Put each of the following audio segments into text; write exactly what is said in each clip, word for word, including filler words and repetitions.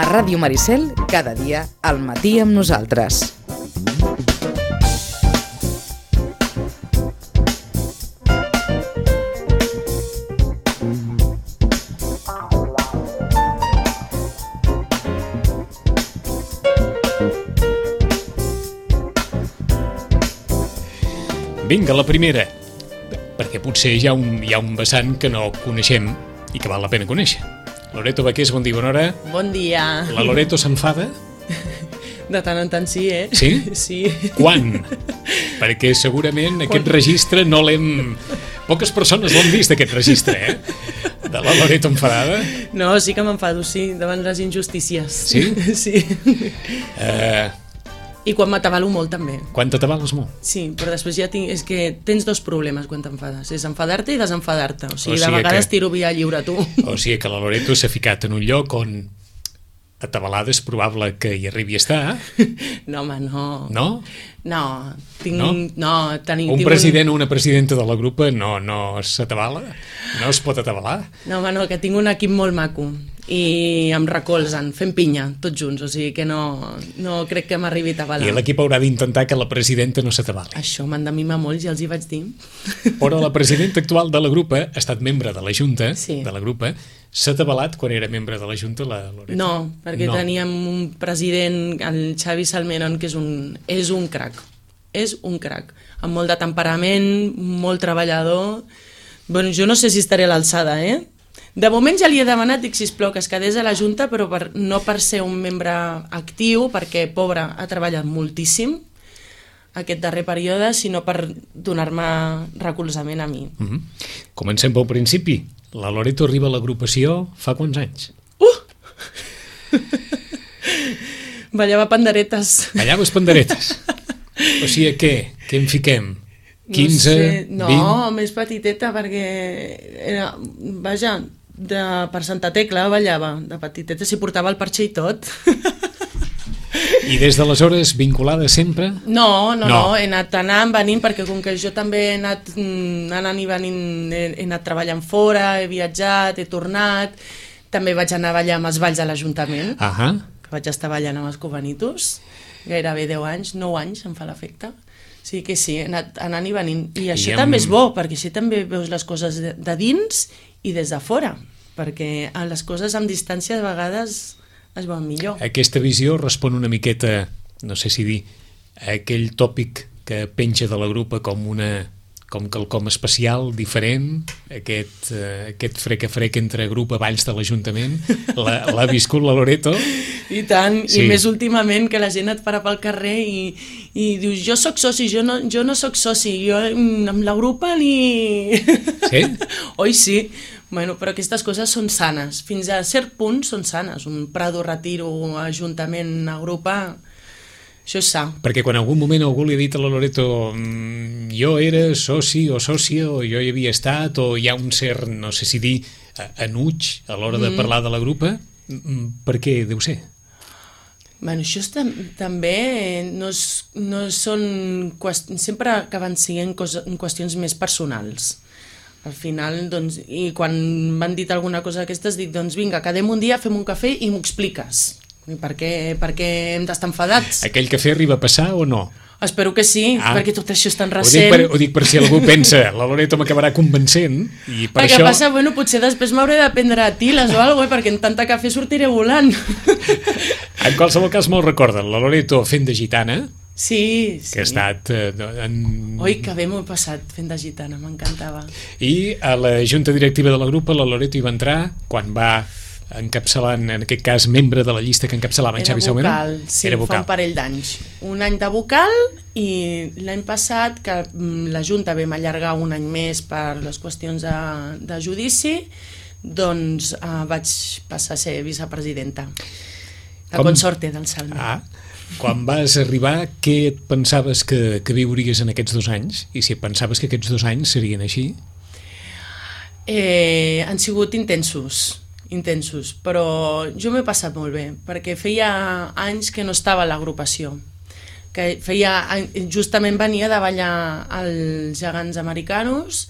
Ràdio Maricel, cada dia al matí amb nosaltres. Vinga, la primera, perquè potser hi ha un, hi ha un vessant que no coneixem i que val la pena conèixer. Loreto Baqués, bon dia, bona hora. Bon dia. La Loreto s'enfada? De tant en tant sí, eh? Sí? Sí. Quan? Perquè segurament aquest Quan? registre no l'hem... Poques persones l'han vist, aquest registre, eh? De la Loreto enfadada. No, sí que m'enfado, sí, davant les injustícies. Sí? Sí. Eh... I quan m'atabalo molt, també. Quan t'atabales molt? Sí, però després ja tinc... És que tens dos problemes quan t'enfades. És enfadar-te i desenfadar-te. O sigui, o sigui de vegades que... tiro via lliure, tu. O sigui que la Loreto s'ha ficat en un lloc on atabalada és probable que hi arribi a estar. No, home, no. No? No, tinc... No? no tenim, un tinc president o una presidenta de la grupa no, no s'atabala? No es pot atabalar? No, home, no, que tinc un equip molt maco i em recolzen, fent pinya, tots junts, o sigui que no, no crec que m'arribi a atabalar. I l'equip haurà d'intentar que la presidenta no s'atabali. Això m'han de mimar molt, ja els hi vaig dir. Però la presidenta actual de la grupa ha estat membre de la Junta, sí. de la grupa, s'ha atabalat quan era membre de la Junta, la Loreto? No, perquè no. teníem un president, el Xavi Salmeron, que és un, és un crac, és un crac, amb molt de temperament, molt treballador. Bueno, jo no sé si estaré a l'alçada, eh? De moment ja li he demanat, dic, sisplau, que es quedés a la Junta, però per, no per ser un membre actiu, perquè, pobre, ha treballat moltíssim aquest darrer període, sinó per donar-me recolzament a mi. Mm-hmm. Comencem pel principi. La Loreto arriba a l'agrupació fa quants anys? Uh! Ballava panderetes. Ballaves panderetes? O sigui, què? Què en fiquem? quinze, no sé, no, vint... més petiteta, perquè era, vaja, de, per Santa Tecla ballava, de petiteta, s'hi portava el parxe i tot. I des d'aleshores vinculada sempre? No, no, no, no, he anat anant, venint, perquè com que jo també he anat anant i venint, he, he anat treballant fora, he viatjat, he tornat, també vaig anar a ballar amb els balls a l'Ajuntament, uh-huh. que vaig estar ballant amb els Covanitos, gairebé deu anys, nou anys, em fa l'efecte. Sí que sí, he anat anant i venint. I això I amb... també és bo, perquè així també veus les coses de, de dins i des de fora, perquè les coses amb distància de vegades es veuen millor. Aquesta visió respon una miqueta, no sé si dir, a aquell tòpic que penja de la grupa com una com quelcom especial, diferent, aquest, uh, aquest freca-frec entre grup a Valls de l'Ajuntament, l'ha viscut la Loreto? I tant, sí. I més últimament que la gent et para pel carrer i, i dius, jo sóc soci, jo no, jo no sóc soci, jo amb la grupa ni... Sí? Oi, sí. Bueno, però aquestes coses són sanes, fins a cert punt són sanes, un Prado, Retiro, Ajuntament, agrupa... Això és sa. Perquè quan en algun moment algú li ha dit a la Loreto mmm, jo era soci o sòcia o jo hi havia estat o hi ha un cert, no sé si dir, enuig a l'hora de mm. parlar de la grupa, per què deu ser? Bueno, això és, també no, és, no són qüestions, sempre acaben sent qüestions més personals. Al final, doncs, i quan m'han dit alguna cosa d'aquestes, dic, doncs vinga, quedem un dia, fem un cafè i m'ho expliques. I per què, per què hem d'estar enfadats? Aquell cafè arriba a passar o no? Espero que sí, ah. perquè tot això és tan recent. Ho dic per, ho dic per si algú pensa, la Loreto m'acabarà convencent, i per perquè això... passa, bueno, potser després m'hauré de prendre a tiles o alguna cosa, perquè en tanta cafè sortiré volant. En qualsevol cas me'l recorden, la Loreto fent de gitana, sí, sí. que ha estat... Eh, en... Oi, que bé m'ho he passat fent de gitana, m'encantava. I a la junta directiva de la grupa, la Loreto hi va entrar quan va encapçalant, en aquest cas, membre de la llista que encapçalava en Xavi Salmeron? Era vocal, sí, Era vocal. fa un parell d'anys. Un any de vocal i l'any passat, que la Junta vam allargar un any més per les qüestions de, de judici, doncs eh, vaig passar a ser vicepresidenta. La Com... consorte del Salme. Ah, quan vas arribar, què et pensaves que, que viuries en aquests dos anys? I si et pensaves que aquests dos anys serien així? Eh, han sigut intensos. intensos, però jo m'he passat molt bé, perquè feia anys que no estava a l'agrupació, que feia, justament venia de ballar als Gegants Americanos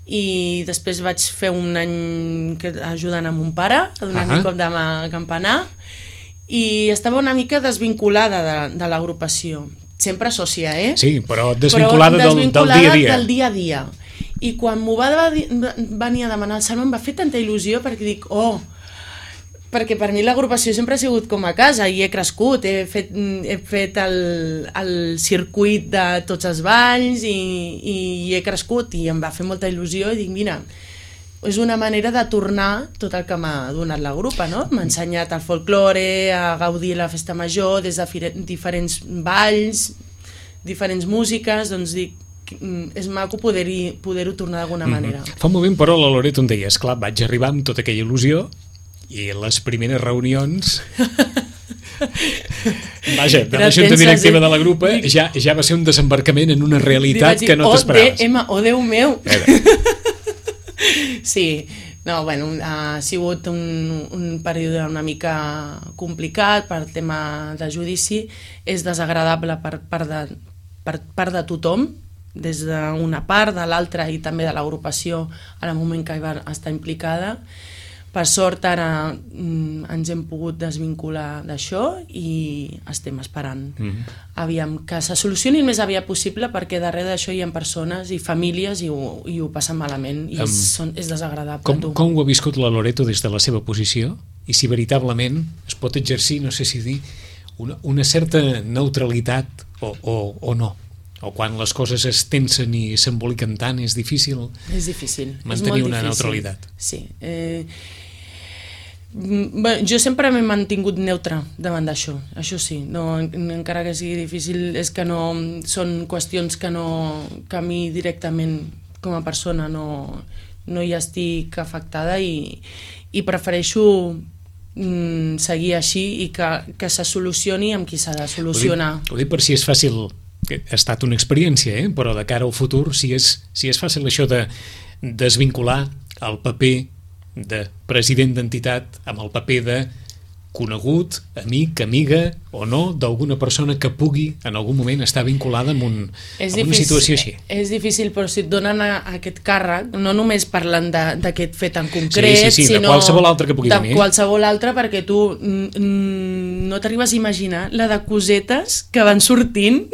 i després vaig fer un any ajudant a mon pare a donar-li uh-huh. cop de mà a campanar i estava una mica desvinculada de, de l'agrupació. Sempre sòcia, eh? Sí, però desvinculada, però desvinculada del, del dia a dia. del dia a dia. I quan m'ho va venir a demanar el Salma em va fer tanta il·lusió perquè dic, oh, perquè per mi l'agrupació sempre ha sigut com a casa i he crescut, he fet, he fet el, el circuit de tots els balls i, i he crescut i em va fer molta il·lusió i dic, mira, és una manera de tornar tot el que m'ha donat la grupa, no? M'ha ensenyat el folklore, a gaudir la festa major des de diferents balls, diferents músiques, doncs dic, és maco poder-ho poder tornar d'alguna manera. Mm-hmm. Fa un moment, però, la Loreto em deia, esclar, vaig arribar amb tota aquella il·lusió i les primeres reunions vaja, de la junta directiva de la grupa ja, ja va ser un desembarcament en una realitat dir, que no t'esperaves. Oh, oh, Déu meu! Sí, no, bueno, ha sigut un, un període una mica complicat per tema de judici, és desagradable per part de, per part de tothom, des d'una part, de l'altra i també de l'agrupació en el moment que hi va estar implicada. Per sort ara mm, ens hem pogut desvincular d'això i estem esperant mm-hmm. aviam, que se solucioni el més aviat possible, perquè darrere d'això hi ha persones i famílies i ho, i ho passen malament i um, és, són, és desagradable. Com, com ho ha viscut la Loreto des de la seva posició? I si veritablement es pot exercir, no sé si dir, una, una certa neutralitat o, o, o no? O quan les coses es tensen i s'emboliquen tant, és difícil, és difícil mantenir és una difícil. neutralitat. Sí. Eh, bé, jo sempre m'he mantingut neutre davant d'això, això sí, no, encara que sigui difícil, és que no són qüestions que, no, que a mi directament com a persona no, no hi estic afectada i, i prefereixo mm, seguir així i que, que se solucioni amb qui s'ha de solucionar. Ho dic, ho dic per si és fàcil, que ha estat una experiència, eh? Però de cara al futur, si és, si és fàcil això de desvincular el paper de president d'entitat amb el paper de conegut, amic, amiga o no, d'alguna persona que pugui en algun moment estar vinculada amb, un, amb una situació així. És difícil, però si et donen a, a aquest càrrec, no només parlant d'aquest fet en concret, sí, sí, sí, sinó de qualsevol altre que pugui de venir. qualsevol altre, perquè tu mm, no t'arribes a imaginar la de cosetes que van sortint.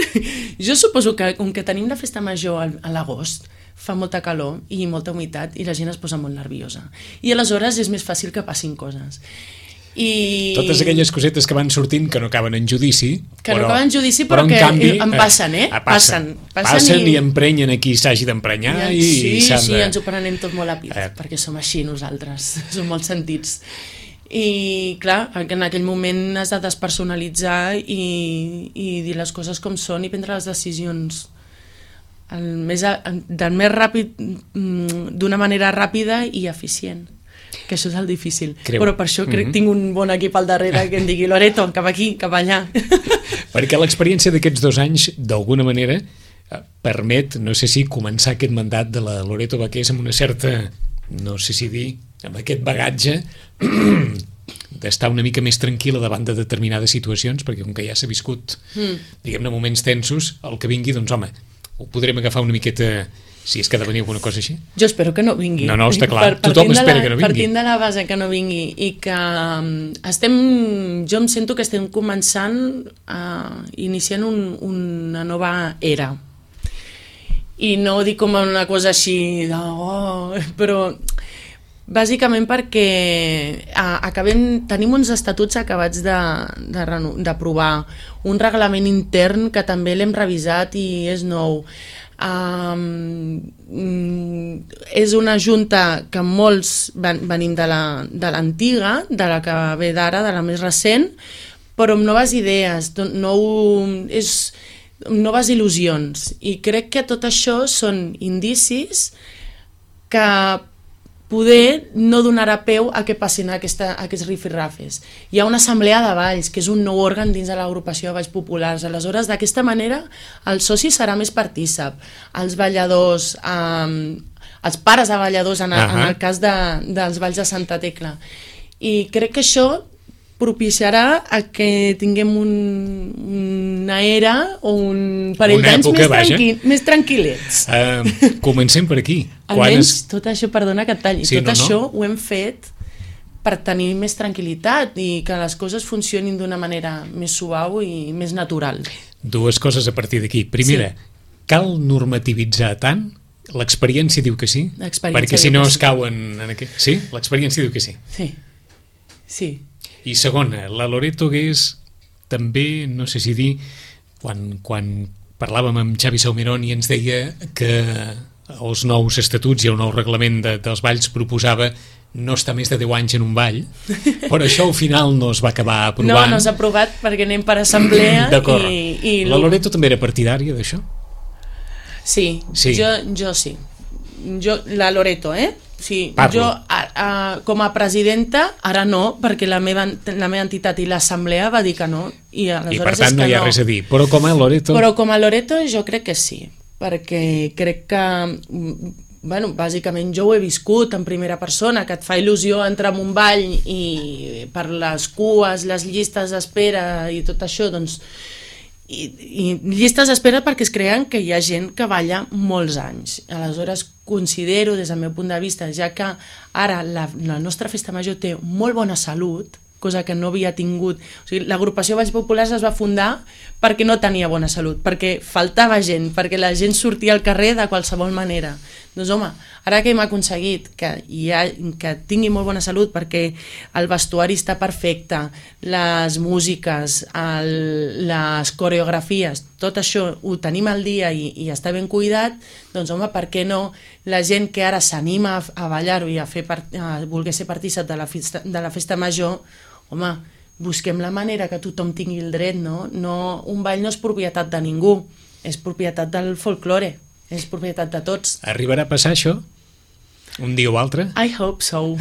Jo suposo que, com que tenim la festa major a l'agost, fa molta calor i molta humitat i la gent es posa molt nerviosa. I aleshores és més fàcil que passin coses. I... Totes aquelles cosetes que van sortint que no acaben en judici, que però, no acaben en judici però però, però que en canvi, en passen, eh? eh passen, passen, passen, passen i... i emprenyen a qui s'hagi d'emprenyar i, sí, i s'han sí, de... ens ho prenem tot molt a pit, eh. perquè som així nosaltres, som molt sentits i clar, en aquell moment has de despersonalitzar i, i dir les coses com són i prendre les decisions el més, del més ràpid, d'una manera ràpida i eficient, que això és el difícil. Creu. Però per això crec que mm-hmm. tinc un bon equip al darrere que em digui Loreto, cap aquí, cap allà. Perquè l'experiència d'aquests dos anys, d'alguna manera, permet, no sé si començar aquest mandat de la Loreto Baqués amb una certa, no sé si dir, amb aquest bagatge d'estar una mica més tranquil·la davant de determinades situacions, perquè com que ja s'ha viscut, mm. diguem-ne, moments tensos, el que vingui, doncs home, ho podrem agafar una miqueta, si és que ha de venir alguna cosa així. Jo espero que no vingui. No, no, està clar, per, tothom espera la, que no vingui. Partint de la base que no vingui i que estem, jo em sento que estem començant a iniciant un, una nova era. I no ho dic com una cosa així, de, oh, però bàsicament perquè acabem, tenim uns estatuts acabats d'aprovar, un reglament intern que també l'hem revisat i és nou. Um, és una junta que molts ven, venim de l'antiga, de, de la que ve d'ara, de la més recent, però amb noves idees, nou, és, noves il·lusions. I crec que tot això són indicis que poder no donarà peu a que passin aquesta, aquests rifirrafes. Hi ha una assemblea de balls, que és un nou òrgan dins de l'agrupació de balls populars. Aleshores, d'aquesta manera, el soci serà més partícip. Els balladors, eh, els pares de balladors, en, uh-huh. en el cas de, dels balls de Santa Tecla. I crec que això propiciarà a que tinguem un, una era o un parell d'anys més, tranqui, més tranquil·lets. Uh, comencem per aquí. Almenys es... tot això, perdona que et talli, sí, tot no, això no. ho hem fet per tenir més tranquil·litat i que les coses funcionin d'una manera més suau i més natural. Dues coses a partir d'aquí. Primera, sí. Cal normativitzar tant? L'experiència diu que sí? Perquè si no es cauen en aquest... Sí? L'experiència diu que sí. Sí. Sí. I segona, la Loreto hagués també, no sé si dir, quan, quan parlàvem amb Xavi Saumirón i ens deia que els nous estatuts i el nou reglament de, dels balls proposava no estar més de deu anys en un ball, però això al final no es va acabar aprovant. No, no s'ha aprovat perquè anem per assemblea. D'acord. I, i la Loreto també era partidària d'això? Sí, sí. Jo, jo sí. Jo, la Loreto, eh? Sí, jo a, a, com a presidenta ara no, perquè la meva, la meva entitat i l'assemblea va dir que no i, I per tant no hi ha no. res a dir, però com a Loreto però com a Loreto jo crec que sí, perquè crec que bueno, bàsicament jo ho he viscut en primera persona, que et fa il·lusió entrar en un ball i per les cues, les llistes d'espera i tot això, doncs I, i llistes d'espera perquè es creen que hi ha gent que balla molts anys. Aleshores considero des del meu punt de vista, ja que ara la, la nostra festa major té molt bona salut, cosa que no havia tingut, o sigui, l'agrupació Balls Populars es va fundar perquè no tenia bona salut, perquè faltava gent, perquè la gent sortia al carrer de qualsevol manera. Doncs home, ara que hem aconseguit que, hi ha, que tingui molt bona salut perquè el vestuari està perfecte, les músiques, el, les coreografies, tot això ho tenim al dia i, i està ben cuidat, doncs home, per què no la gent que ara s'anima a, a ballar-ho i a, fer part, a voler ser partícip de la festa, de la festa major, home, busquem la manera que tothom tingui el dret, no? no? Un ball no és propietat de ningú, és propietat del folklore, és propietat de tots. Arribarà a passar això? Un dia o altre? I hope so.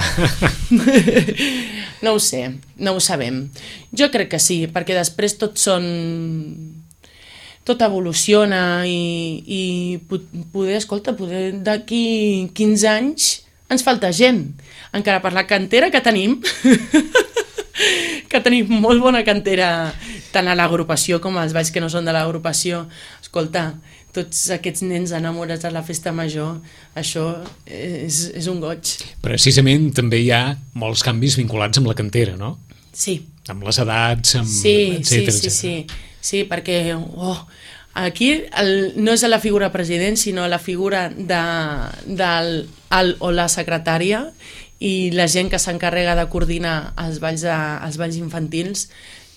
No ho sé, no ho sabem. Jo crec que sí, perquè després tot són... tot evoluciona i, i poder, escolta, poder d'aquí quinze anys ens falta gent. Encara per la cantera que tenim... que tenim molt bona cantera tant a l'agrupació com als balls que no són de l'agrupació. Escolta, tots aquests nens enamorats de la festa major, això és, és un goig. Precisament també hi ha molts canvis vinculats amb la cantera, no? Sí. Amb les edats, amb sí, etcètera, sí, sí, etcètera. Sí, sí, perquè oh, aquí el, no és a la figura president, sinó a la figura de, del el o la secretària i la gent que s'encarrega de coordinar els balls, de, els balls infantils,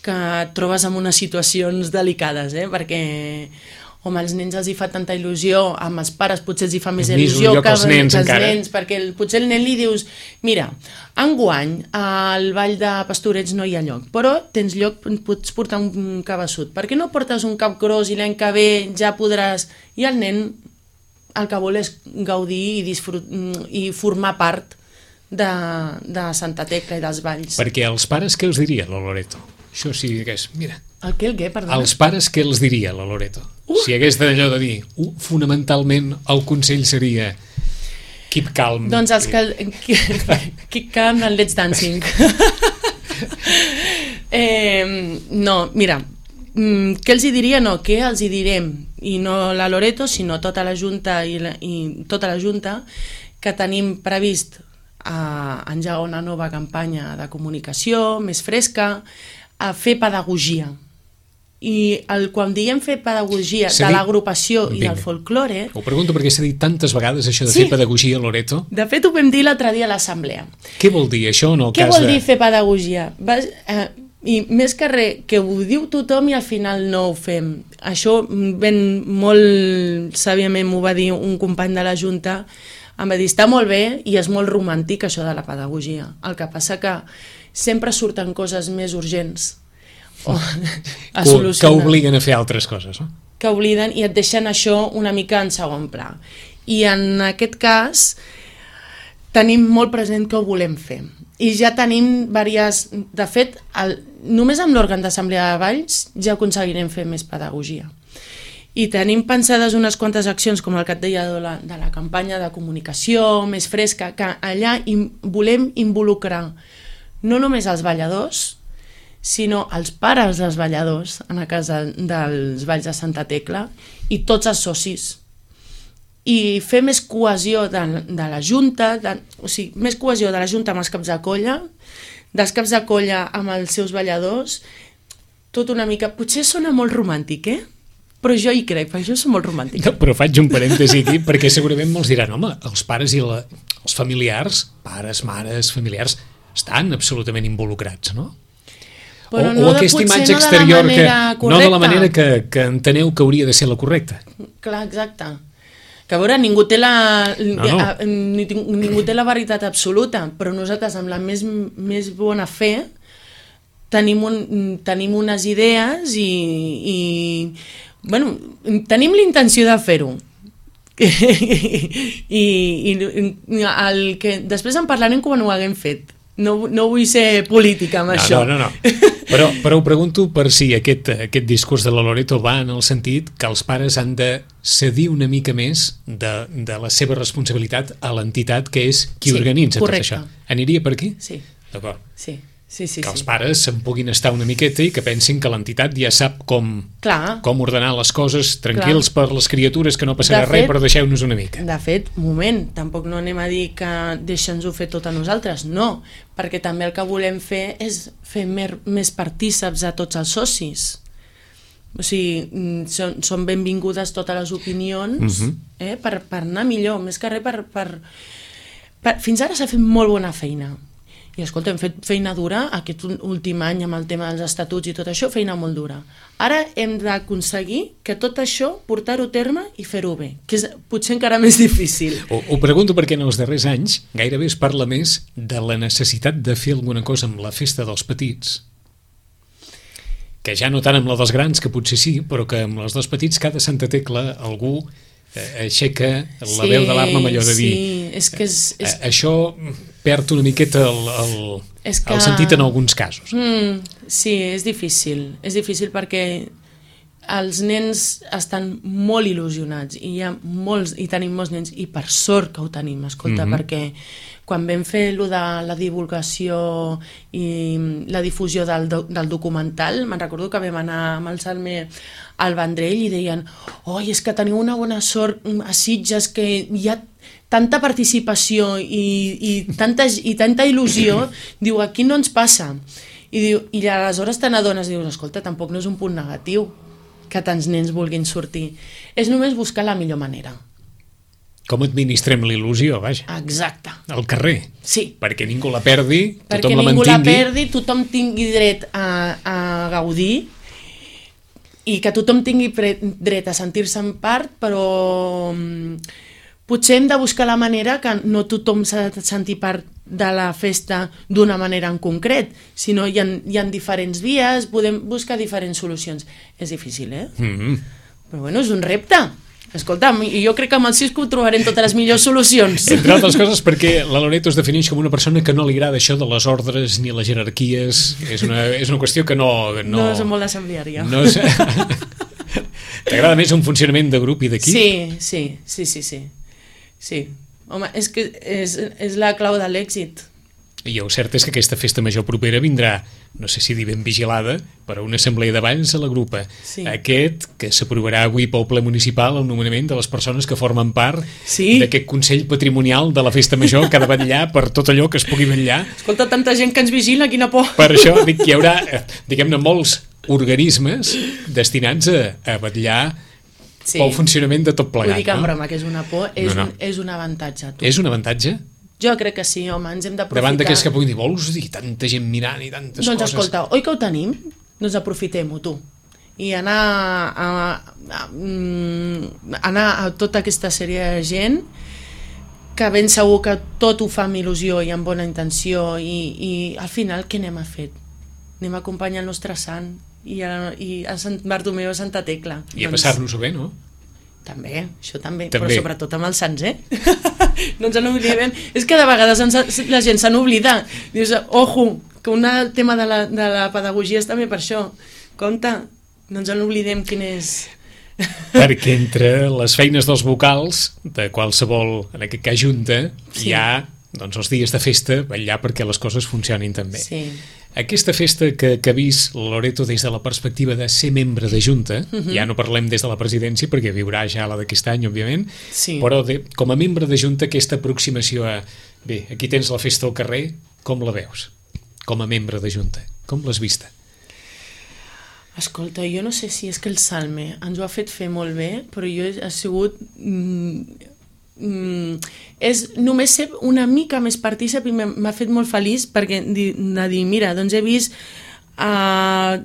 que et trobes en unes situacions delicades, eh? Perquè home, als nens els hi fa tanta il·lusió, amb els pares potser els hi fa més il·lusió que els nens, que els nens perquè el, potser el nen li dius mira, enguany al ball de Pastorets no hi ha lloc, però tens lloc, pots portar un cabeçut, per què no portes un cap gros i l'any que ve ja podràs... I el nen el que vol és gaudir i, disfrut... i formar part de, de Santa Tecla i dels balls. Perquè als pares què els diria la Loreto? Això sí que és, mira... El què, el què, perdona? Als pares què els diria la Loreto? Uh! Si hagués d'allò de dir, uh, fonamentalment el consell seria keep calm. Doncs els que... Keep calm and let's dancing. eh, no, mira, què els hi diria? No, què els hi direm? I no la Loreto, sinó tota la Junta i, la, i tota la Junta, que tenim previst a engegar una nova campanya de comunicació més fresca, a fer pedagogia. I el, quan diem fer pedagogia de l'agrupació i del folklore... Ho pregunto perquè s'ha dit tantes vegades això de sí. fer pedagogia, Loreto. De fet, ho vam dir l'altre dia a l'assemblea. Què vol dir això en el Què cas de... Què vol dir fer pedagogia? Vas, eh, I més que res, que ho diu tothom i al final no ho fem. Això ben molt sàviament m'ho va dir un company de la Junta. Em va dir, està molt bé i és molt romàntic això de la pedagogia. El que passa que sempre surten coses més urgents o a solucionar. Que obliguen a fer altres coses, no? Que obliden i et deixen això una mica en segon pla. I en aquest cas tenim molt present que ho volem fer. I ja tenim diverses... De fet, el, només amb l'òrgan d'assemblea de balls ja aconseguirem fer més pedagogia. I tenim pensades unes quantes accions, com el que et deia de la, de la campanya de comunicació més fresca, que allà im, volem involucrar no només els balladors, sinó els pares dels balladors en a casa dels balls de Santa Tecla i tots els socis. i fer més cohesió de, de la Junta, de, o sigui, més cohesió de la Junta amb els caps de colla, dels caps de colla amb els seus balladors, tot una mica... Potser sona molt romàntic, eh? Però jo hi crec, perquè jo soc molt romàntic. No, però faig un parèntesi aquí, perquè segurament molts diran, home, els pares i la, els familiars, pares, mares, familiars, estan absolutament involucrats, no? Però o, no o de, aquesta imatge no exterior de que correcta. no de la manera que, que enteneu que hauria de ser la correcta. Clar, exacte. Que a veure, ningú té la, no, no. ningú té la veritat absoluta, però nosaltres amb la més, més bona fe tenim, un, tenim unes idees i, i bueno, tenim l'intenció de fer-ho. I, i el que, després en parlarem quan ho haguem fet. No, no vull ser política amb no, això. No, no, no. Però, però ho pregunto per si aquest, aquest discurs de la Loreto va en el sentit que els pares han de cedir una mica més de, de la seva responsabilitat a l'entitat que és qui sí, organitza correcte. tot això. Aniria per aquí? Sí. D'acord. Sí. Sí, sí, que els sí. pares se'n puguin estar una miqueta i que pensin que l'entitat ja sap com, com ordenar les coses tranquils Clar. Per les criatures, que no passarà res, però deixeu-nos una mica. De fet, moment, tampoc no anem a dir que deixem-nos-ho fer tot a nosaltres, no, perquè també el que volem fer és fer mer, més partíceps a tots els socis. O sigui, són, són benvingudes totes les opinions uh-huh. eh, per, per anar millor, més que res per, per, per... Fins ara s'ha fet molt bona feina. I escolta, hem fet feina dura aquest últim any amb el tema dels estatuts i tot això, feina molt dura. Ara hem d'aconseguir que tot això, portar-ho a terme i fer-ho bé, que és potser encara més difícil. Ho, ho pregunto perquè en els darrers anys gairebé es parla més de la necessitat de fer alguna cosa amb la festa dels petits, que ja no tant amb la dels grans, que potser sí, però que amb les dels petits cada Santa Tecla algú aixeca la sí, veu d'alarma amb allò de dir sí, és que és, és... això perd una miqueta el, el, que... el sentit en alguns casos. Mm, sí, és difícil. És difícil perquè els nens estan molt il·lusionats i hi ha molts, i tenim molts nens, i per sort que ho tenim, escolta, mm-hmm. perquè quan vam fer lo de la divulgació i la difusió del, del documental, me'n recordo que vam anar amb el Salme al Vendrell i deien, oi, és que teniu una bona sort a Sitges, que hi ha tanta participació i, i, tanta, i tanta il·lusió, diu, aquí no ens passa. I, diu, i aleshores te n'adones, dius, escolta, tampoc no és un punt negatiu que tants nens vulguin sortir. És només buscar la millor manera. Com administrem l'il·lusió, vaja. Exacte. Al carrer. Sí. Perquè ningú la perdi, perquè tothom la mantingui. Perquè ningú la perdi, tothom tingui dret a, a gaudir i que tothom tingui dret a sentir-se en part, però potser hem de buscar la manera que no tothom s'ha de sentir part de la festa d'una manera en concret, sinó hi ha, hi ha diferents vies, podem buscar diferents solucions. És difícil, eh? Mm-hmm. Però bueno, és un repte. Escolta, jo crec que amb el Cisco trobarem totes les millors solucions. Entre altres coses perquè la Loreto es defineix com una persona que no li agrada això de les ordres ni les jerarquies. És una, és una qüestió que no... No, no és molt assembleària. No és... T'agrada més un funcionament de grup i d'equip? Sí, sí, sí, sí, sí. Sí. Home, és que és, és la clau de l'èxit. I el cert és que aquesta festa major propera vindrà, no sé si dir ben vigilada, per a una assemblea d'abans a la grupa. Sí. Aquest, que s'aprovarà avui pel ple municipal, el nomenament de les persones que formen part sí. d'aquest Consell Patrimonial de la Festa Major, que ha de vetllar per tot allò que es pugui vetllar. Escolta, tanta gent que ens vigila, quina por. Per això dic que hi haurà, diguem-ne, molts organismes destinats a, a vetllar sí. pel funcionament de tot plegat. Vull dir que en no? broma, que és una por, és, no, no. Un, és un avantatge. Tu. És un avantatge? Jo crec que sí, home, ens hem d'aprofitar. Davant d'aquells que puguin dir, vols dir, tanta gent mirant i tantes doncs, coses... Doncs escolta, oi que ho tenim? Doncs aprofitem-ho, tu. I anar a, a, a, anar a tota aquesta sèrie de gent que ben segur que tot ho fa amb il·lusió i amb bona intenció i, i al final què anem a fer? Anem a acompanyar el nostre sant i a, i a Sant Bartomeu a Santa Tecla. I a doncs... passar-nos-ho bé, no? També, això també, també, però sobretot amb els sants, eh? No ens en oblidem. És que de vegades ens, la gent se n'oblida. Dius, ojo, que un tema de la, de la pedagogia és també per això. Compte, no ens en oblidem quin és... Perquè entre les feines dels vocals de qualsevol, en aquest cas junta, sí. hi ha doncs, els dies de festa, vetllar perquè les coses funcionin també. Sí. aquesta festa que, que ha vist Loreto des de la perspectiva de ser membre de Junta, uh -huh. ja no parlem des de la presidència perquè viurà ja la d'aquest any, òbviament, sí. però de, com a membre de Junta aquesta aproximació a, bé, aquí tens la festa al carrer, com la veus? Com a membre de Junta, com l'has vista? Escolta, jo no sé si és que el Salme ens ho ha fet fer molt bé, però jo he sigut... Mm, mm, és només ser una mica més partícip i m'ha fet molt feliç perquè de dir, mira, doncs he vist uh,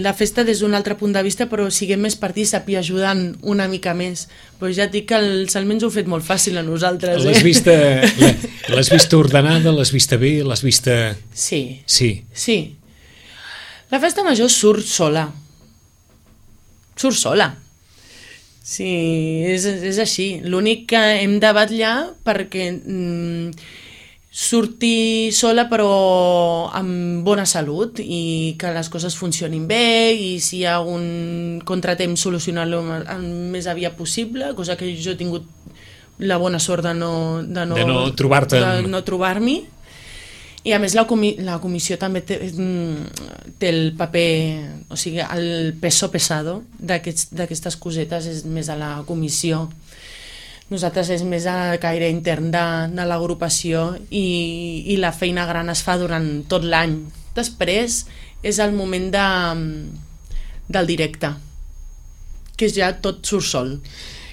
la festa des d'un altre punt de vista, però siguem més partícip i ajudant una mica més. Però ja et dic que el Salme ens ho ha fet molt fàcil a nosaltres. L'has eh? vista, l'has vista ordenada, l'has vista bé, l'has vista... Sí. Sí. Sí. La festa major surt sola. Surt sola. Sí, és, és així. L'únic que hem de batllar perquè mm, surti sola però amb bona salut i que les coses funcionin bé i si hi ha un contratemps solucionar-lo el més aviat possible, cosa que jo he tingut la bona sort de no, de no, de no trobar-te de no trobar-m'hi. I a més la, comi la comissió també té, té el paper, o sigui, el peso pesado d'aquestes cosetes és més a la comissió. Nosaltres és més a caire intern de, de l'agrupació i, i la feina gran es fa durant tot l'any. Després és el moment de, del directe, que ja tot surt sol.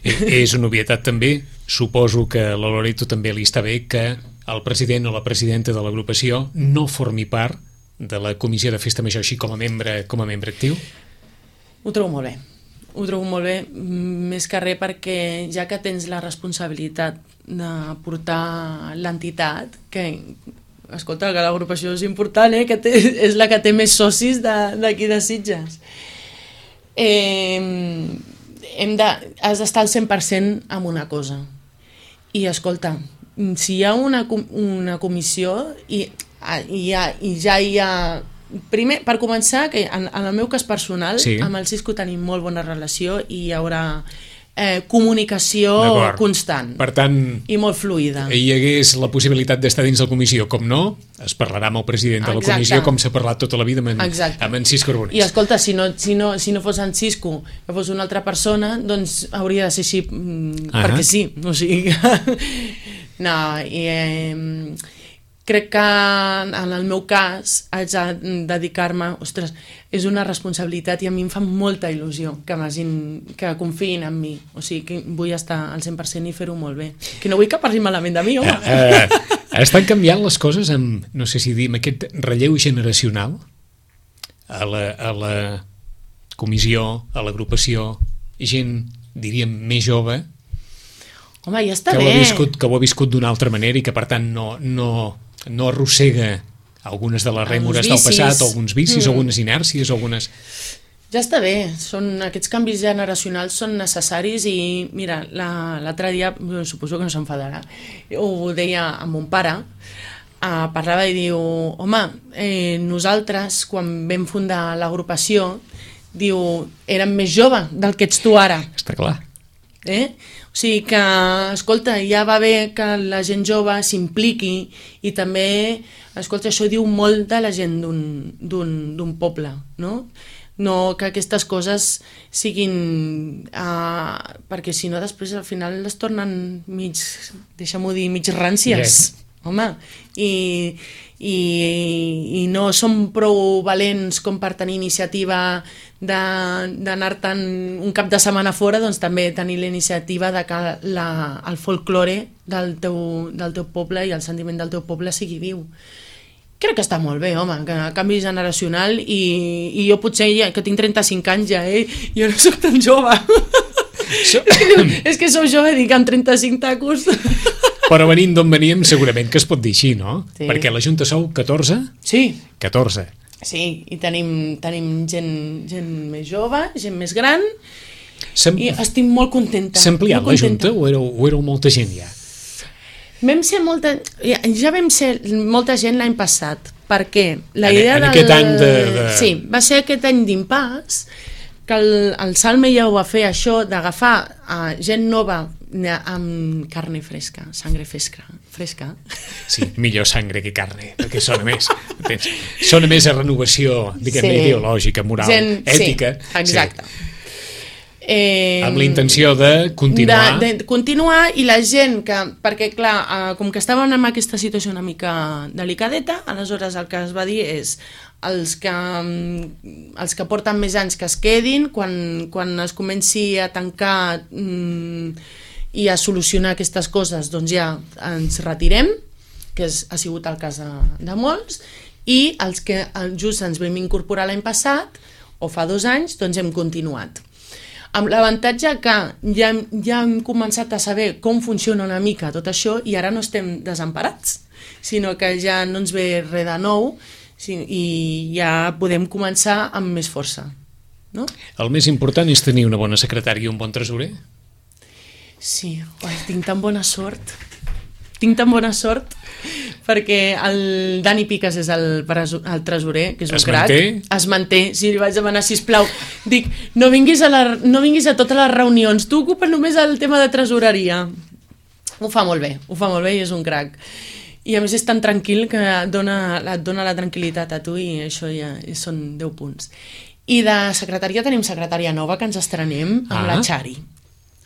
És una obvietat també, suposo que a la Loreto també li està bé que el president o la presidenta de l'agrupació no formi part de la comissió de festa major així com a membre, com a membre actiu? Ho trobo molt bé. Ho trobo molt bé, més que res perquè ja que tens la responsabilitat de portar l'entitat, que, escolta, que l'agrupació és important, eh? Que té, és la que té més socis d'aquí de, de Sitges. Eh, hem de, has d'estar al cent per cent en una cosa. I, escolta, si hi ha una, una comissió i, i, ha, i ja hi ha... Primer, per començar, que en, en el meu cas personal, sí. Amb el Cisco tenim molt bona relació i hi haurà eh, comunicació constant. Per tant, i molt fluida. Hi hagués la possibilitat d'estar dins la comissió, com no, es parlarà amb el president de la Exacte. Comissió, com s'ha parlat tota la vida amb en, amb en Cisco Arbonés. I escolta, si no, si, no, si no fos en Cisco, que fos una altra persona, doncs hauria de ser així, mm, uh-huh. perquè sí. O sigui, no, i... Eh, crec que en el meu cas haig de dedicar-me, ostres, és una responsabilitat i a mi em fa molta il·lusió que, que confiïn en mi, o sigui que vull estar al cent per cent i fer-ho molt bé, que no vull que parli malament de mi, home. Uh, uh, estan canviant les coses amb, no sé si dir, amb aquest relleu generacional a la, a la comissió, a l'agrupació, gent, diríem, més jove, home, ja està que bé. Ho ha viscut, que ho ha viscut d'una altra manera i que per tant no, no, no arrossega algunes de les rèmores del passat, alguns vicis, mm. algunes inèrcies, algunes... Ja està bé, són, aquests canvis generacionals són necessaris i mira, l'altre dia, suposo que no s'enfadarà, ho deia amb mon pare, eh, parlava i diu, home, eh, nosaltres quan vam fundar l'agrupació, diu, érem més jove del que ets tu ara. Està clar. Eh? O sigui que, escolta, ja va bé que la gent jove s'impliqui i també, escolta, això diu molt de la gent d'un poble, no? No que aquestes coses siguin... Uh, perquè si no després al final les tornen mig, deixa'm-ho dir, mig ràncies. Yes. Home, i, i, i no som prou valents com per tenir iniciativa d'anar-te'n un cap de setmana fora, doncs també tenir la iniciativa de que la, el folklore del teu, del teu poble i el sentiment del teu poble sigui viu. Crec que està molt bé, home, que canvi generacional i, i jo potser ja, que tinc trenta-cinc anys ja, eh? Jo no soc tan jove. So... és, que, és que sou jove, dic, amb trenta-cinc tacos... Però venint d'on veníem segurament que es pot dir així, no? Sí. Perquè la Junta sou catorze? Sí. catorze. Sí, i tenim, tenim gent, gent més jove, gent més gran, i estic molt contenta. S'ha ampliat la Junta o éreu, o éreu molta gent ja? Vam ser molta... Ja, ja vam ser molta gent l'any passat, perquè la en, idea en del... aquest any de, de... Sí, va ser aquest any d'impàs, que el, el Salme ja ho va fer això, d'agafar uh, gent nova amb carne fresca, sangre fresca. fresca. Sí, millor sangre que carne, perquè sona més. Entens? Sona més a renovació, diguem-ne, Sí. ideològica, moral, Gent, ètica. Sí, exacte. Sí. Eh, Amb la intenció de continuar. De, de continuar i la gent que... Perquè, clar, eh, com que estàvem en aquesta situació una mica delicadeta, aleshores el que es va dir és els que, mm, els que porten més anys que es quedin, quan, quan es comenci a tancar mm, i a solucionar aquestes coses, doncs ja ens retirem, que és, ha sigut el cas de, de molts, i els que just ens vam incorporar l'any passat, o fa dos anys, doncs hem continuat. Amb l'avantatge que ja, ja hem començat a saber com funciona una mica tot això i ara no estem desemparats, sinó que ja no ens ve res de nou i ja podem començar amb més força. No? El més important és tenir una bona secretària i un bon tresorer? Sí, oi, tinc tan bona sort. Tinc tan bona sort perquè el Dani Piques és el, el tresorer, que és un es crac. Manté? Es manté? Sí, li vaig demanar, sisplau. Dic, no vinguis a, la, no vinguis a totes les reunions, tu ocupa només el tema de tresoreria. Ho fa molt bé, ho fa molt bé i és un crac. I a més és tan tranquil que et dona, et dona la tranquil·litat a tu i això ja són deu punts. I de secretaria tenim secretària nova que ens estrenem amb ah. la Xari.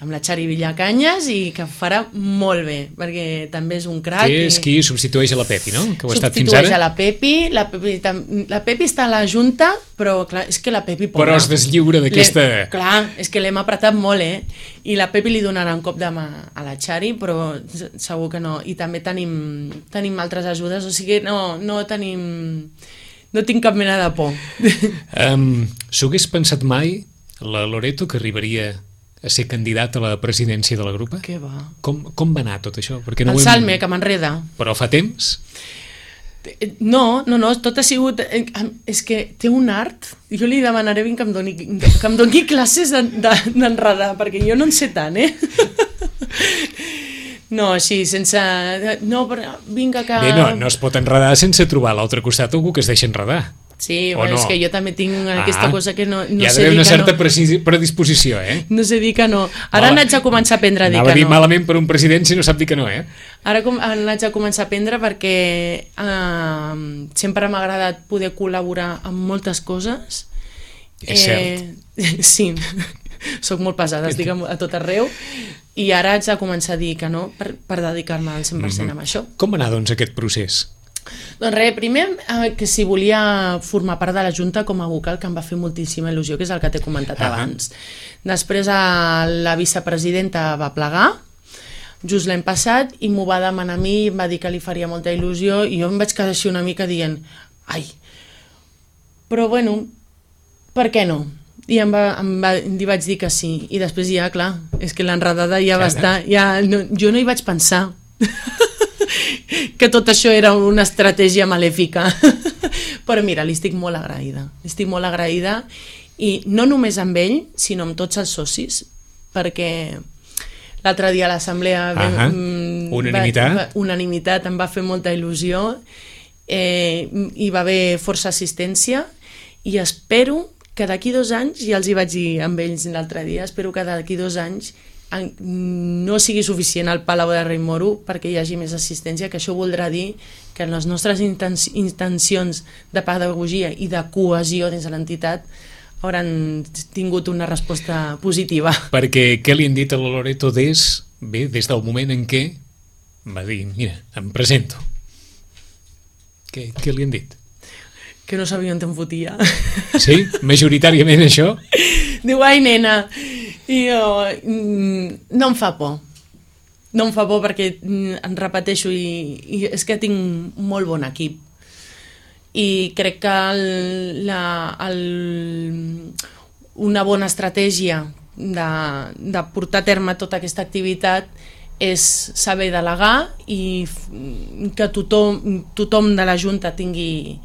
amb la Xari Villacanyes i que farà molt bé, perquè també és un crac. Que és i... qui substitueix a la Pepi, no? Que ho ha estat fins substitueix ara. a la Pepi, la Pepi, la Pepi està a la Junta, però clar, és que la Pepi... Pobra, però es deslliura d'aquesta... Clar, és que l'hem apretat molt, eh? I la Pepi li donarà un cop de mà a la Xari, però segur que no. I també tenim, tenim altres ajudes, o sigui, no, no tenim... No tinc cap mena de por. Um, S'ho hagués pensat mai la Loreto que arribaria a ser candidat a la presidència de la grupa? Què va? Com, com va anar tot això? Perquè no el hem... Salme, que m'enreda. Però fa temps? No, no, no, tot ha sigut... És que té un art. Jo li demanaré que em doni, que em doni classes d'enredar, perquè jo no en sé tant, eh? No, així, sense... No, però vinga que... Bé, no, no es pot enredar sense trobar a l'altre costat algú que es deixa enredar. Sí, o però no? És que jo també tinc aquesta ah, cosa que no, no hi ha sé dir una que certa no. predisposició, eh? No sé dir que no. Ara Mala... n'haig de començar a aprendre a dir Anava que a dir no. malament per un president si no sap dir que no, eh? Ara com, n'haig de començar a aprendre perquè eh, sempre m'ha agradat poder col·laborar amb moltes coses. És cert. Eh, sí, soc molt pesada, estic a tot arreu i ara haig de començar a dir que no per, per dedicar-me al cent per cent mm-hmm. a això. Com va anar, doncs, aquest procés? Doncs res, primer eh, que si volia formar part de la Junta com a vocal, que em va fer moltíssima il·lusió, que és el que t'he comentat uh-huh. abans. Després eh, la vicepresidenta va plegar, just l'any passat, i m'ho va demanar a mi, i em va dir que li faria molta il·lusió, i jo em vaig quedar així una mica dient, ai, però bueno, per què no? I em va, em va, li vaig dir que sí, i després ja, clar, és que l'enredada ja va estar, ja, no, jo no hi vaig pensar. Que tot això era una estratègia malèfica. Però mira, li estic molt agraïda. Li estic molt agraïda i no només amb ell, sinó amb tots els socis, perquè l'altre dia a l'assemblea uh-huh. unanimitat. Va, unanimitat em va fer molta il·lusió, eh, hi va haver força assistència i espero que d'aquí dos anys, ja els hi vaig dir amb ells l'altre dia, espero que d'aquí dos anys no sigui suficient al Palau de Rei Moro perquè hi hagi més assistència, que això voldrà dir que les nostres intencions de pedagogia i de cohesió dins de l'entitat hauran tingut una resposta positiva. Perquè què li han dit a la Loreto des, bé, des del moment en què va dir, mira, em presento. Què, què li han dit? Que no sabia on te'n fotia. Sí? Majoritàriament això? Diu, ai nena, i jo, no em fa por. No em fa por perquè em repeteixo i, i és que tinc molt bon equip. I crec que el, la, el, una bona estratègia de, de portar a terme tota aquesta activitat és saber delegar i que tothom, tothom de la Junta tingui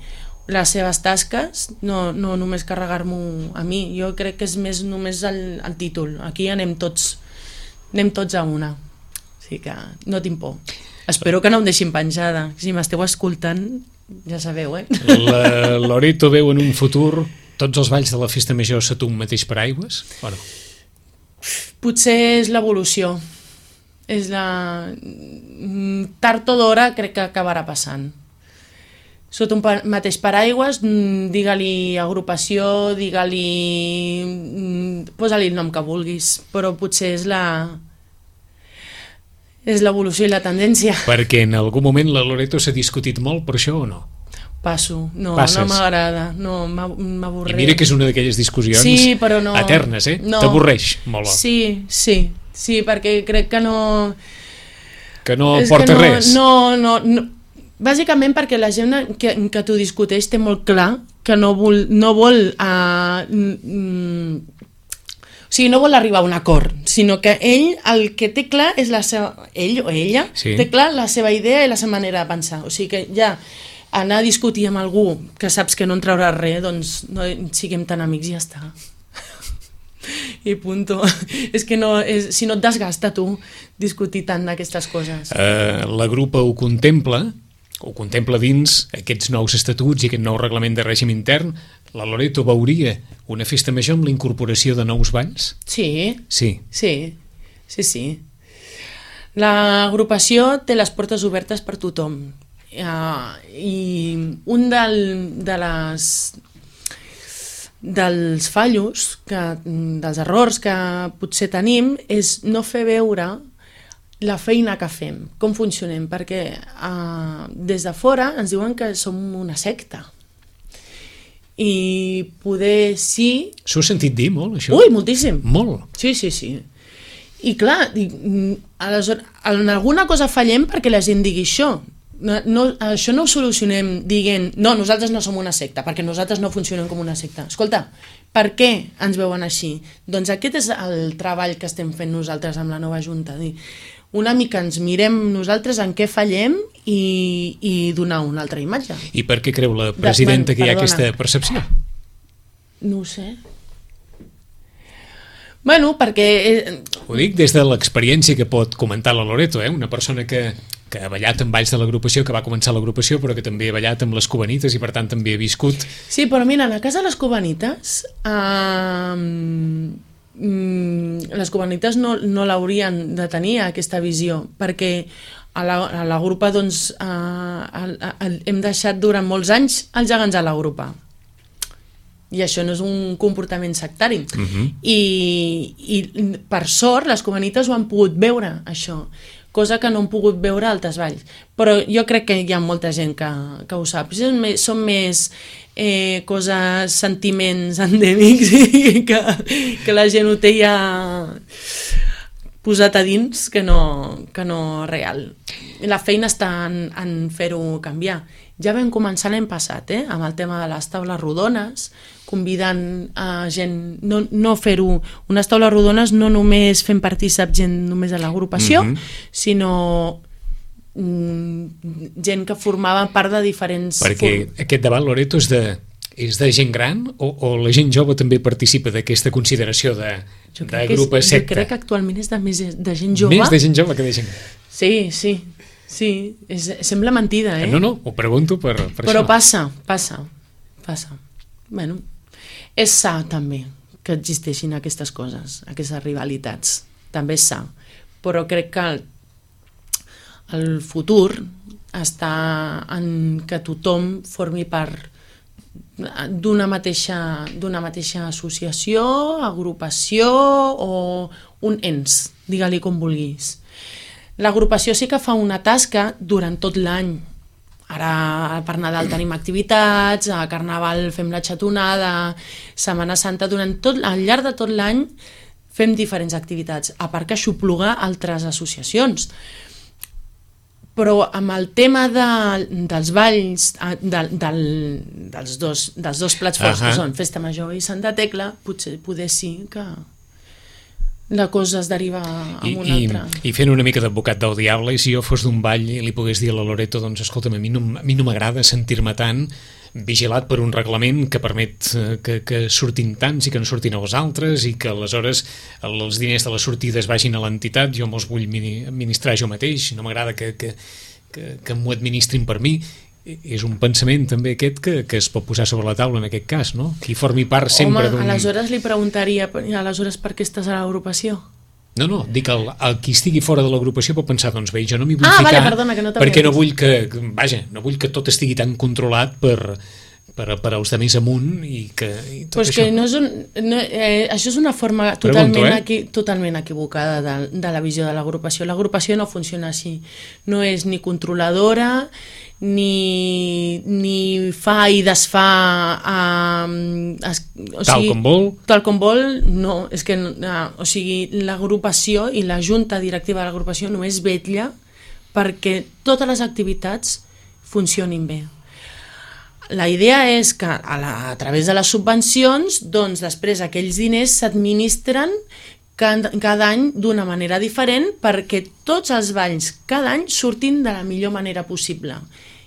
les seves tasques, no, no només carregar-m'ho a mi. Jo crec que és més només el, el títol. Aquí anem tots, anem tots a una. O sigui que no tinc por. Espero que no em deixin penjada. Si m'esteu escoltant, ja sabeu, eh? La Loreto veu en un futur tots els balls de la festa major sota un mateix paraigües, o no? Potser és l'evolució. És la... Tard o d'hora crec que acabarà passant. Sota un pa- mateix paraigües, mm, digue-li agrupació, digue-li... mm, posa-li el nom que vulguis, però potser és la... és l'evolució i la tendència. Perquè en algun moment la Loreto s'ha discutit molt per això o no? Passo, no, Passes. no m'agrada, no, m'ha- m'avorreix. I mira que és una d'aquelles discussions Sí, però no... eternes, eh? No. T'avorreix molt. Sí, sí, sí, perquè crec que no... Que no és porta que no, res. No, no, no. Bàsicament perquè la gent que, que t'ho discuteix té molt clar que no vol... No vol uh, mm, o sigui, no vol arribar a un acord, sinó que ell el que té clar és la seva... Ell o ella Sí. té clar la seva idea i la seva manera de pensar. O sigui que ja anar a discutir amb algú que saps que no en trauràs res, doncs no siguem tan amics i ja està. I punto. És que no, és, si no et desgasta tu discutir tant d'aquestes coses. Eh, la grupa ho contempla, ho contempla dins aquests nous estatuts i aquest nou reglament de règim intern. La Loreto veuria una festa major amb la incorporació de nous balls? Sí, Sí. sí, sí, sí. L'agrupació té les portes obertes per tothom. Uh, I un del, de les dels fallos, que, dels errors que potser tenim, és no fer veure la feina que fem, com funcionem, perquè uh, des de fora ens diuen que som una secta. I poder sí... S'ho he sentit dir molt, això? Ui, moltíssim! Molt. Sí, sí, sí. I clar, dic, mm, aleshores, en alguna cosa fallem perquè la gent digui això. No, no, això no ho solucionem dient no, nosaltres no som una secta, perquè nosaltres no funcionem com una secta. Escolta, per què ens veuen així? Doncs aquest és el treball que estem fent nosaltres amb la nova Junta. Dir, una mica ens mirem nosaltres en què fallem i, i donar una altra imatge. I per què creu la presidenta De, que hi ha perdona. aquesta percepció? No ho sé. Bueno, perquè... Eh, Ho dic des de l'experiència que pot comentar la Loreto, eh? Una persona que, que ha ballat amb balls de l'agrupació, que va començar l'agrupació, però que també ha ballat amb les cubanites i per tant també ha viscut... Sí, però mira, en el cas de les cubanites, eh, mm, les cubanites no, no l'haurien de tenir aquesta visió, perquè a la, a la grupa doncs, eh, a, a, a, hem deixat durant molts anys els gegants a la grupa. I això no és un comportament sectari. Uh-huh. I, I per sort les cubanites ho han pogut veure, això, cosa que no han pogut veure altres balls. Però jo crec que hi ha molta gent que, que ho sap. Són més, són més eh, coses, sentiments endèmics que, que la gent ho té ja posat a dins que no, que no real. La feina està en, en fer-ho canviar. Ja vam començar l'any passat, eh, amb el tema de les taules rodones, convidant a gent, no, no fer-ho, unes taules rodones no només fent partícip gent només de l'agrupació, mm-hmm. sinó mm, gent que formava part de diferents... Perquè form... aquest debat, Loreto, és de, és de gent gran o, o la gent jove també participa d'aquesta consideració de, de grup secta? Jo crec que actualment és de, més de gent jove. Més de gent jove que de gent gran. Sí, sí, sí, és, sembla mentida, eh? No, no, ho pregunto per, per Però això. passa, passa, passa. Bueno, és sa també que existeixin aquestes coses, aquestes rivalitats. També és sa. Però crec que el, el futur està en que tothom formi part d'una mateixa, d'una mateixa associació, agrupació o un ens, digue-li com vulguis. L'agrupació sí que fa una tasca durant tot l'any. Ara per Nadal tenim activitats, a Carnaval fem la xatonada, Setmana Santa, durant tot, al llarg de tot l'any fem diferents activitats, a part que aixopluga altres associacions. Però amb el tema de, dels balls, de, del, dels, dos, dels dos plats forts, uh-huh. que són Festa Major i Santa Tecla, potser poder sí que la cosa es deriva a I, una altra. I, I fent una mica d'advocat del diable, i si jo fos d'un ball i li pogués dir a la Loreto, doncs escolta'm, a mi no, a mi no m'agrada sentir-me tant vigilat per un reglament que permet que, que surtin tants i que no surtin els altres i que aleshores els diners de les sortides vagin a l'entitat, jo me'ls vull administrar jo mateix, no m'agrada que, que, que, que m'ho administrin per mi. És un pensament també aquest que, que es pot posar sobre la taula en aquest cas, no? Qui formi part sempre d'un... Home, aleshores li preguntaria, aleshores per què estàs a l'agrupació? No, no, dic, el, el qui estigui fora de l'agrupació pot pensar, doncs bé, jo no m'hi vull ah, ficar vale, perdona, que no perquè no vull que, vaja, no vull que tot estigui tan controlat per, per, per als de més amunt i que i tot pues això. Que no és un, no, eh, això és una forma totalment, Pregunto, eh? equi, totalment equivocada de, de la visió de l'agrupació. L'agrupació no funciona així. No és ni controladora, ni, ni fa i desfà eh, es, o tal sigui, com vol. Tal com vol, no. És que, eh, o sigui, l'agrupació i la junta directiva de l'agrupació només vetlla perquè totes les activitats funcionin bé. La idea és que a, la, a través de les subvencions, doncs després aquells diners s'administren cada, cada any d'una manera diferent perquè tots els balls cada any surtin de la millor manera possible.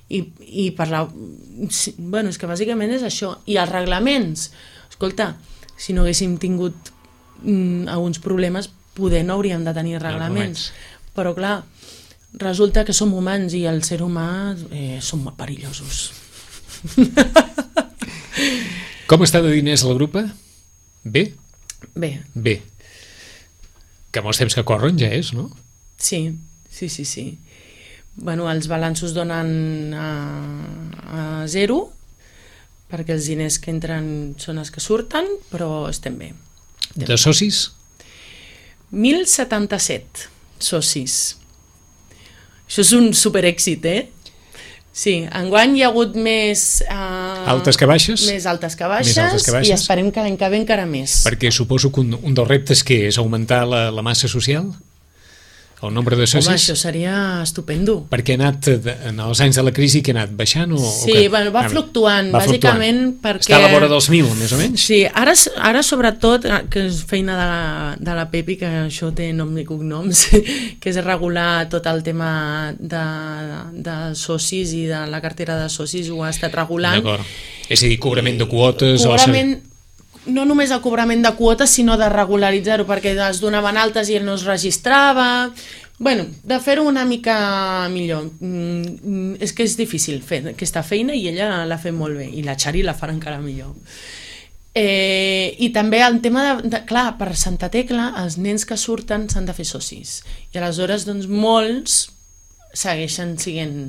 I, i per la... Bueno, és que bàsicament és això. I els reglaments, escolta, si no haguéssim tingut mm, alguns problemes, poder no hauríem de tenir reglaments. Però clar, resulta que som humans i el ser humà eh, som molt perillosos. Com està de diners la grupa? Bé? Bé. Bé. Que molts temps que corren ja és, no? Sí, sí, sí, sí. Bueno, els balanços donen a, a zero, perquè els diners que entren són els que surten, però estem bé. Estem de socis? mil setanta-set socis. Això és un superèxit, eh? Sí, enguany hi ha hagut més... Uh, altes que baixes? Més altes que baixes, més altes que baixes, i esperem que l'any que ve encara més. Perquè suposo que un, un dels reptes que és augmentar la, la massa social? El nombre de socis? Home, això seria estupendo. Perquè ha anat, de, en els anys de la crisi, que ha anat baixant? O, sí, o que... bueno, va fluctuant, va bàsicament fluctuant. Perquè... Està a la vora dels mil, més o menys? Sí, ara, ara sobretot, que és feina de la, de la Pepi, que això té nom i cognoms, que és regular tot el tema de, de socis i de la cartera de socis, ho ha estat regulant. D'acord. És a dir, cobrament de quotes... Cobrament... no només el cobrament de quotes, sinó de regularitzar-ho, perquè es donaven altes i ell no es registrava. Bueno, de fer-ho una mica millor. Mm, és que és difícil fer aquesta feina i ella l'ha fet molt bé, i la Xari la farà encara millor. Eh, I també el tema de, de... Clar, per Santa Tecla, els nens que surten s'han de fer socis. I aleshores, doncs, molts segueixen siguent,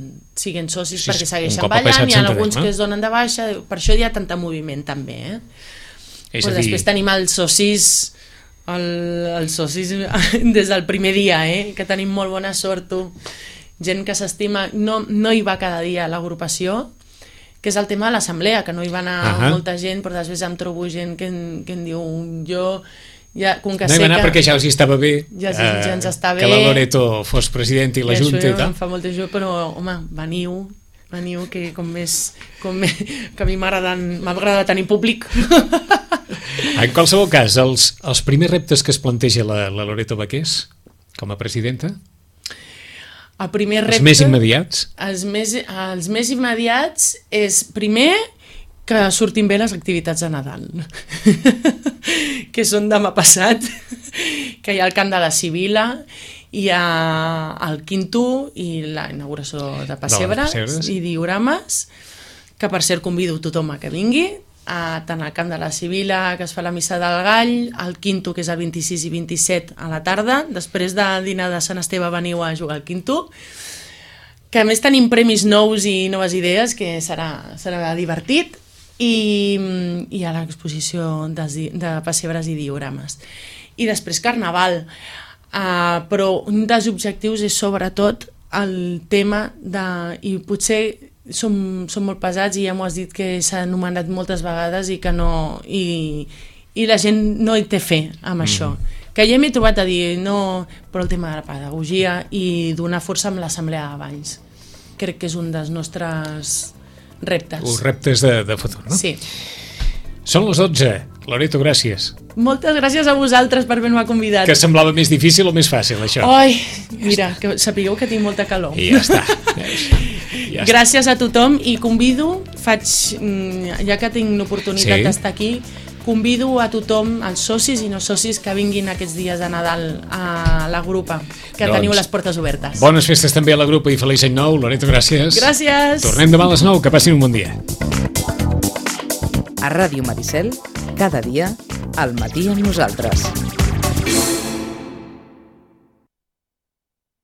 siguent socis, sí, perquè segueixen ballant, hi ha alguns que es donen de baixa, per això hi ha tanta moviment també, eh? És pues a dir... Després tenim els socis, el, els socis des del primer dia, eh? Que tenim molt bona sort, tu. Gent que s'estima, no, no hi va cada dia a l'agrupació, que és el tema de l'assemblea, que no hi va anar uh -huh. molta gent, però després em trobo gent que, que em diu, jo... Ja, com que no hi va anar que... perquè ja els estava bé, ja, eh, ja ens està bé, que la Loreto fos president i la Junta i tal. Em fa molta il·lusió, però home, veniu, veniu que com més, com més que a mi m'agrada tenir públic. En qualsevol cas, els, els primers reptes que es planteja la, la Loreto Baqués com a presidenta? El primer repte, els més immediats? Els més, els més immediats és, primer, que surtin bé les activitats de Nadal, que són demà passat, que hi ha el Camp de la Sibila, hi ha el Quinto i la inauguració de Pessebres i diorames, que per cert convido tothom a que vingui, a, tant al Camp de la Sibila, que es fa la missa del Gall, al Quinto, que és el vint-i-sis i vint-i-set a la tarda, després de dinar de Sant Esteve veniu a jugar al Quinto, que a més tenim premis nous i noves idees, que serà, serà divertit, i, i a l'exposició de, de pessebres i diorames. I després Carnaval, uh, però un dels objectius és sobretot el tema de... i potser som, som molt pesats i ja m'ho has dit que s'ha anomenat moltes vegades i que no... i, i la gent no hi té fe amb mm. això. Que ja m'he trobat a dir, no, però el tema de la pedagogia i donar força amb l'assemblea de Valls. Crec que és un dels nostres reptes. Els reptes de, de futur, no? Sí. Són les dotze. Loreto, gràcies. Moltes gràcies a vosaltres per haver-me convidat. Que semblava més difícil o més fàcil, això? Ai, mira, que sapigueu que tinc molta calor. I ja està. Ja gràcies a tothom i convido, faig, ja que tinc l'oportunitat sí. d'estar aquí, convido a tothom, els socis i no socis, que vinguin aquests dies de Nadal a la grupa, que doncs, teniu les portes obertes. Bones festes també a la grupa i feliç any nou. Loreto, gràcies. Gràcies. Tornem demà a les nou, que passin un bon dia. A Ràdio Maricel, cada dia, al matí amb nosaltres.